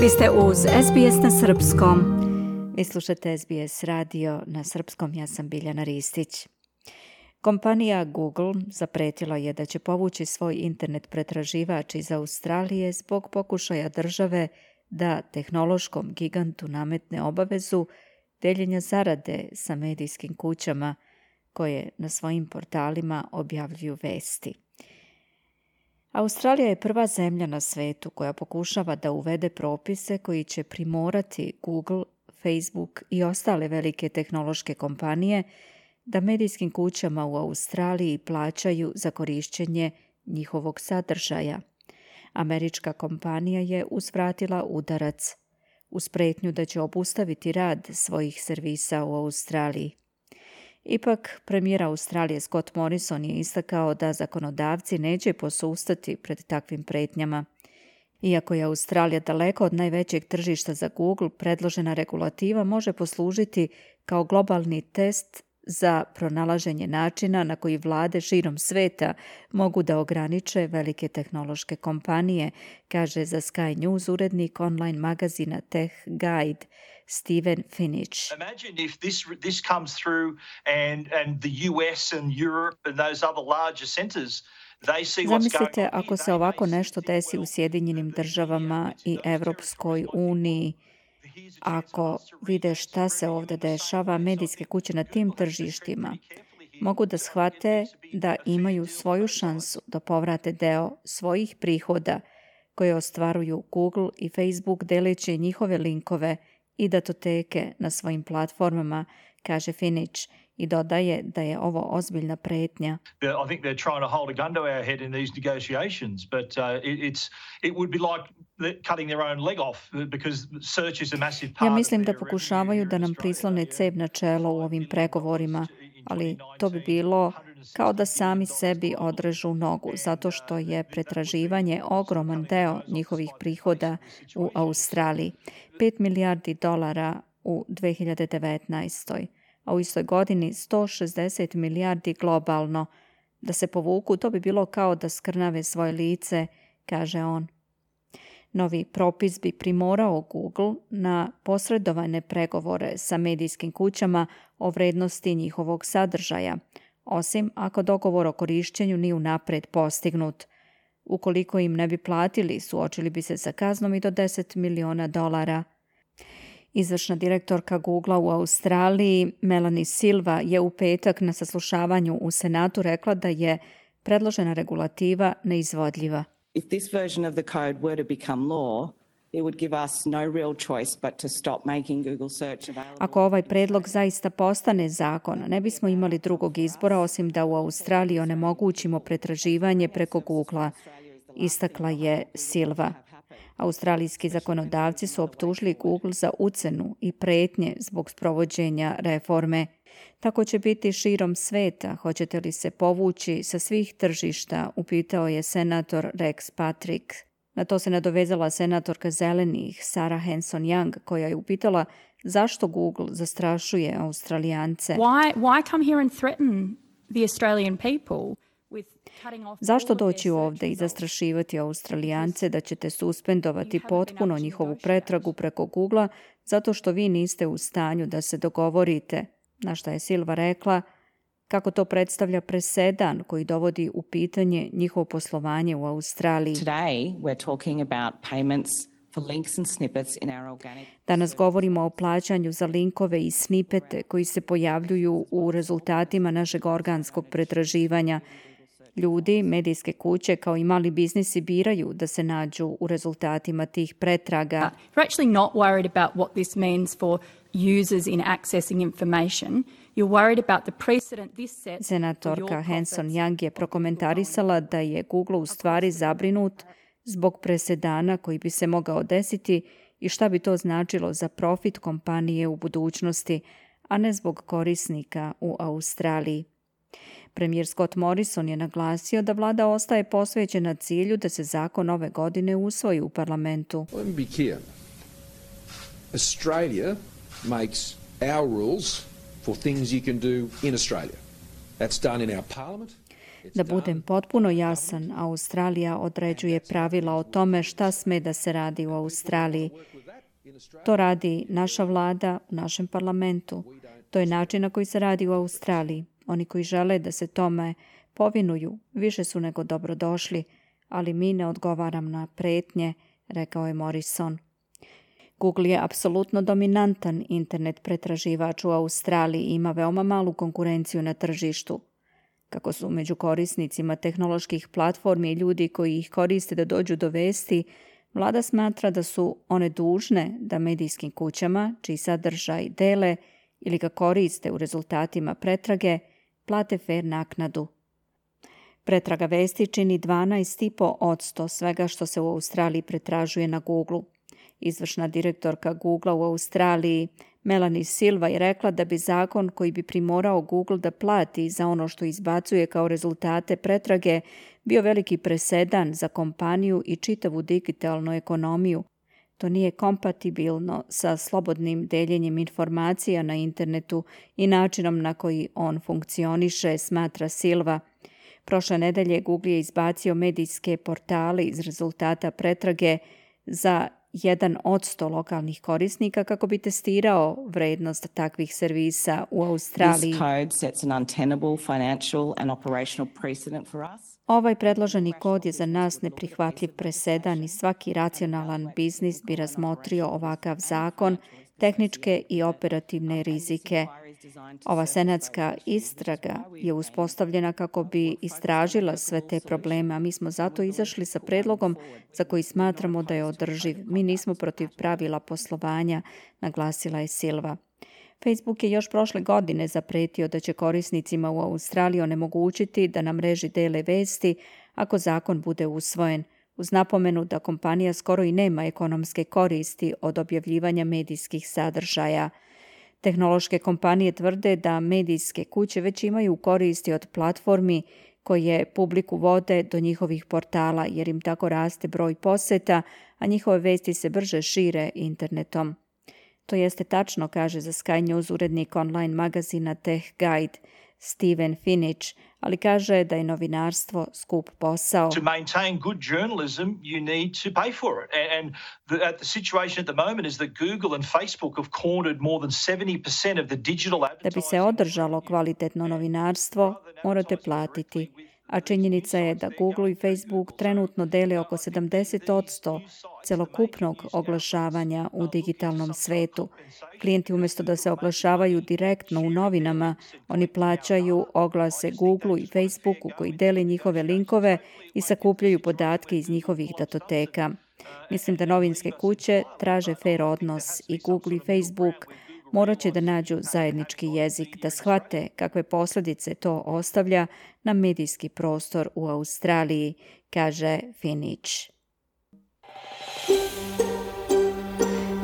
Vi ste uz SBS na srpskom. Vi slušate SBS radio na srpskom, ja sam Biljana Ristić. Kompanija Google zapretila je da će povući svoj internet pretraživač iz Australije zbog pokušaja države da tehnološkom gigantu nametne obavezu deljenja zarade sa medijskim kućama koje na svojim portalima objavljuju vesti. Australija je prva zemlja na svetu koja pokušava da uvede propise koji će primorati Google, Facebook i ostale velike tehnološke kompanije da medijskim kućama u Australiji plaćaju za korišćenje njihovog sadržaja. Američka kompanija je uzvratila udarac uz pretnju da će obustaviti rad svojih servisa u Australiji. Ipak, premijer Australije Scott Morrison je istakao da zakonodavci neće posustati pred takvim pretnjama. Iako je Australija daleko od najvećeg tržišta za Google, predložena regulativa može poslužiti kao globalni test za pronalaženje načina na koji vlade širom sveta mogu da ograniče velike tehnološke kompanije, kaže za Sky News urednik online magazina Tech Guide Steven Finich. Imagine if this comes through and the US and Europe and those other larger centers. Zamislite ako se ovako nešto desi u Sjedinjenim državama i Evropskoj uniji. Ako vide šta se ovdje dešava, medijske kuće na tim tržištima mogu da shvate da imaju svoju šansu da povrate deo svojih prihoda koje ostvaruju Google i Facebook deleći njihove linkove i datoteke na svojim platformama, kaže Finich, i dodaje da je ovo ozbiljna pretnja. I think they're trying to hold a gun to our head in these negotiations, but it would be like cutting their own leg off because search is a massive part. Ja mislim da pokušavaju da nam prislone cev na čelo u ovim pregovorima, ali to bi bilo kao da sami sebi odrežu nogu, zato što je pretraživanje ogroman deo njihovih prihoda u Australiji. $5 milijardi u 2019. a u istoj godini 160 milijardi globalno. Da se povuku, to bi bilo kao da skrnave svoje lice, kaže on. Novi propis bi primorao Google na posredovane pregovore sa medijskim kućama o vrednosti njihovog sadržaja, osim ako dogovor o korišćenju nije unapred postignut. Ukoliko im ne bi platili, suočili bi se sa kaznom i do $10 miliona. Izvršna direktorka Googlea u Australiji, Melanie Silva, je u petak na saslušavanju u Senatu rekla da je predložena regulativa neizvodljiva. If this version of the code were to become law, it would give us no real choice but to stop making Google search available. Ako ovaj predlog zaista postane zakon, ne bismo imali drugog izbora osim da u Australiji onemogućimo pretraživanje preko Googlea, istakla je Silva. Australijski zakonodavci su optužili Google za ucenu i pretnje zbog sprovođenja reforme. Tako će biti širom sveta. Hoćete li se povući sa svih tržišta, upitao je senator Rex Patrick. Na to se nadovezala senatorka Zelenih Sarah Hanson-Young, koja je upitala zašto Google zastrašuje Australijance. Why come here and threaten the Australian people? Zašto doći ovdje i zastrašivati Australijance da ćete suspendovati potpuno njihovu pretragu preko Googlea zato što vi niste u stanju da se dogovorite, na šta je Silva rekla kako to predstavlja presedan koji dovodi u pitanje njihovo poslovanje u Australiji. Danas govorimo o plaćanju za linkove i snipete koji se pojavljuju u rezultatima našeg organskog pretraživanja. Ljudi, medijske kuće kao i mali biznisi biraju da se nađu u rezultatima tih pretraga. You're actually not worried about what this means for users in accessing information. You're worried about the precedent this sets. Senatorka Hanson-Young je prokomentarisala da je Google u stvari zabrinut zbog presedana koji bi se mogao desiti i šta bi to značilo za profit kompanije u budućnosti, a ne zbog korisnika u Australiji. Premijer Scott Morrison je naglasio da vlada ostaje posvećena cilju da se zakon ove godine usvoji u parlamentu. Let me be clear. Australia makes our rules for things you can do in Australia. That's done in our parliament. Da budem potpuno jasan, Australija određuje pravila o tome šta sme da se radi u Australiji. To radi naša vlada u našem parlamentu. To je način na koji se radi u Australiji. Oni koji žele da se tome povinuju više su nego dobrodošli, ali mi ne odgovaram na pretnje, rekao je Morrison. Google je apsolutno dominantan internet pretraživač u Australiji i ima veoma malu konkurenciju na tržištu. Kako su među korisnicima tehnoloških platformi i ljudi koji ih koriste da dođu do vesti, vlada smatra da su one dužne da medijskim kućama, čiji sadržaj dele ili ga koriste u rezultatima pretrage, plate fer naknadu. Pretraga vesti čini 12,5% svega što se u Australiji pretražuje na Google. Izvršna direktorka Googlea u Australiji, Melanie Silva, je rekla da bi zakon koji bi primorao Google da plati za ono što izbacuje kao rezultate pretrage bio veliki presedan za kompaniju i čitavu digitalnu ekonomiju. To nije kompatibilno sa slobodnim deljenjem informacija na internetu i načinom na koji on funkcioniše, smatra Silva. Prošle nedelje Google je izbacio medijske portale iz rezultata pretrage za 1% lokalnih korisnika kako bi testirao vrednost takvih servisa u Australiji. Ovaj predloženi kod je za nas neprihvatljiv presedan i svaki racionalan biznis bi razmotrio ovakav zakon, tehničke i operativne rizike. Ova senatska istraga je uspostavljena kako bi istražila sve te probleme, a mi smo zato izašli sa predlogom za koji smatramo da je održiv. Mi nismo protiv pravila poslovanja, naglasila je Silva. Facebook je još prošle godine zapretio da će korisnicima u Australiji onemogućiti da na mreži dele vesti ako zakon bude usvojen, uz napomenu da kompanija skoro i nema ekonomske koristi od objavljivanja medijskih sadržaja. Tehnološke kompanije tvrde da medijske kuće već imaju koristi od platformi koje publiku vode do njihovih portala, jer im tako raste broj poseta, a njihove vesti se brže šire internetom. To jeste tačno, kaže za Sky News urednik online magazina Tech Guide Steven Finich, ali kaže da je novinarstvo skup posao. To maintain good journalism, you need to pay for it. And the situation at the moment is that Google and Facebook have cornered more than 70% of the digital advertising. Da bi se održalo kvalitetno novinarstvo, morate platiti. A činjenica je da Google i Facebook trenutno dele oko 70% celokupnog oglašavanja u digitalnom svetu. Klijenti umjesto da se oglašavaju direktno u novinama, oni plaćaju oglase Google i Facebooku koji dele njihove linkove i sakupljaju podatke iz njihovih datoteka. Mislim da novinske kuće traže fer odnos i Google i Facebook morat će da nađu zajednički jezik, da shvate kakve posljedice to ostavlja na medijski prostor u Australiji, kaže Finich.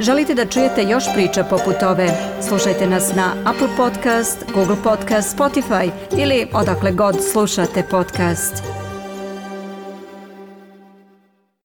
Želite da čujete još priča poput ove? Slušajte nas na Apple Podcast, Google Podcast, Spotify ili odakle god slušate podcast.